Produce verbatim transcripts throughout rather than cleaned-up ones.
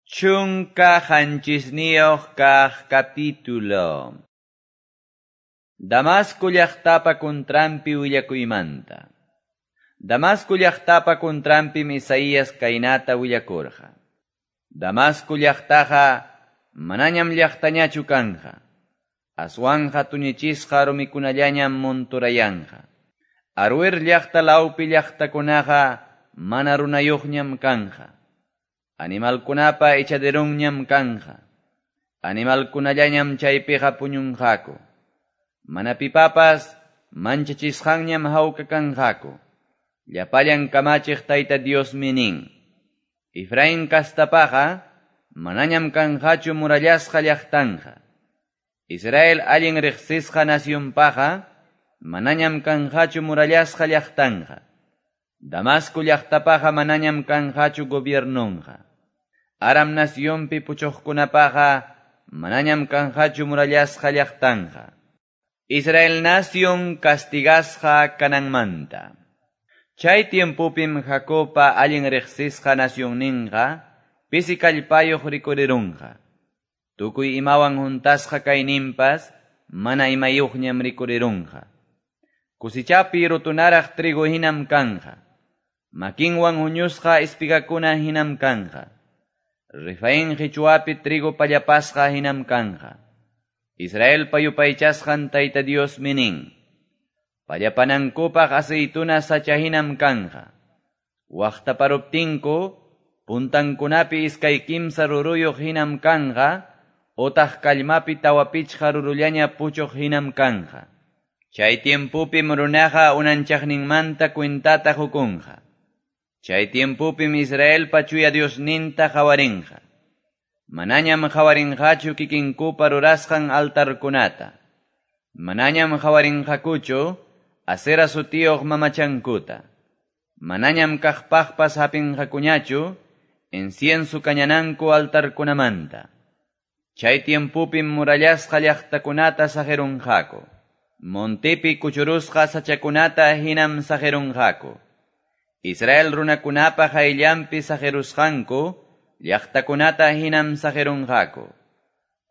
Chunka qanchisniyuq kaq capítulo. Damasco llaqtapa contranpi willakuymanta. Damasco llaqtapa contranpim Isaías kaynata willakurqa. Damasco llaqtaqa manañam llaqtañachu kanja. Aswanja tuñichisqa rumikunallañam monturayanqa. Aruer llaqta lawpi llaqtakunaqa mana runayuqñam kanja. Animalkunapa echaderunñam kanja. Animalkunallañam chaypiqa puñunqaku. Mana pipapas manchachisqanñam hawka kanqaku. Llapallan kamachiq Tayta Diosmi nin. Efraín kastapaqa manañam kanqachu murallasqa llaqtanja. Israel allin riqsisqa nacionpaqa manañam kanqachu murallasqa llaqtanja. Damasco llaqtapaqa manañam kanqachu gobiernonqa. Aram nacionpi puchuqkunapaqa manañam kanqachu murallasqa llaqtanja. Israel nación castigasqa kananmanta. Chay tiempopim Jacobpa allin riqsisqa nacionninqa pisi kallpayuq rikurirunqa. Tukuy imawan juntasqa kayninpas mana imayuqñam rikurirunqa. Kusichapi rutunaraq trigo hinam kanja. Makinwan huñusqa espigakuna hinam kanja. Refaín qichwapi trigo pallapasqa hinam kanja. Israelpa yupaychasqan Tayta Diosmi nin. Pallapanankupaq aceituna sacha hinam kanja. Waqtaparuptinku puntankunapi iskay kimsa ruruyuq hinam kanja, otaq kallmapi tawa pichqa rurullaña puchuq hinam kanja. Chay tiempopim runaqa unanchaqninmanta cuentata hukunqa. Chay tiempopim Israelpa chuya Diosninta qawarinqa. Manañam qawarinqachu kikinkupa rurasqan altarkunata. Manañam qawarinqakuchu Asera sutiyuq mamachankuta. Manañam kaqpaqpas hapinqakuñachu incienso kañananku altarkunamanta. Chay tiempopim murallasqa llaqtakunata saqirunqaku. Montepi kuchurusqa sachakunata hinam saqirunqaku. Israel runakunapa qayllanpi saqirusqanku llaqtakunata hinam saqirunqaku.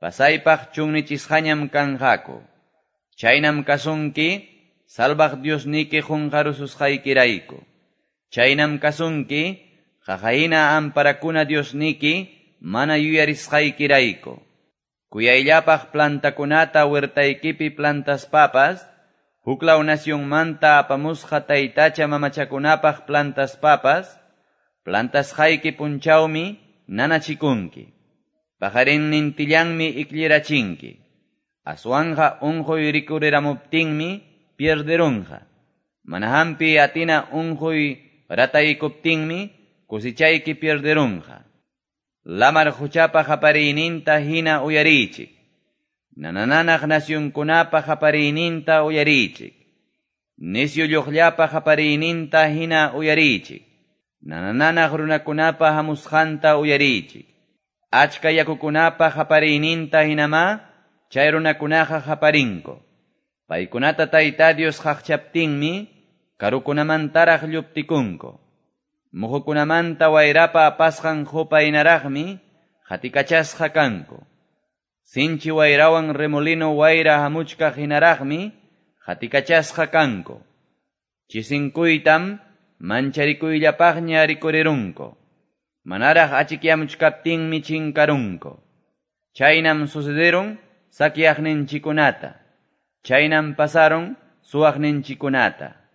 Pasaypaq chunnichisqañam kanqaku. Chaynam kasunki salvaq Diosniki qunqarususqaykirayku. Chaynam kasunki qaqahina amparakuna Diosniki mana yuyarisqaykirayku. Kuyayllapaq plantakunata huertaykipi plantaspapas, huklaw nacionmanta apamusqa taytacha mamachakunapaq plantaspapas, plantasqayki punchawmi nanachikunki. Paqarinnintillanmi ikllirachinki. Aswanja unquy rikuriramuptinmi pierderunqa. Mana hampi atina unquy rataykuptinmi kusichayki pierderunqa. Lamar quchapa qapariyninta hina uyariychik. Nanananaq nacionkunapa qapariyninta uyariychik. Nisyu lluqllapa qapariyninta hina uyariychik. Nanananaq runakunapa hamusqanta uyariychik. Achka yakukunapa qapariyninta hinamá chay runakunaqa qaparinku. Paykunata Tayta Dios qaqchaptinmi karukunamantaraq lluptikunku. Muhukunamanta wayrapa apasqan qupa hinaraqmi qatikachasqa kanku. Sinchi wayrawan remolino wayra hamuchkaq hinaraqmi qatikachasqa kanku. Chisinkuytam mancharikuyllapaqña rikurirunku. Manaraq achikyamuchkaptinmi chinkarunku. Chaynam sucederun sakyaqninchikunata. Chaynam pasaron suwaqninchikunata.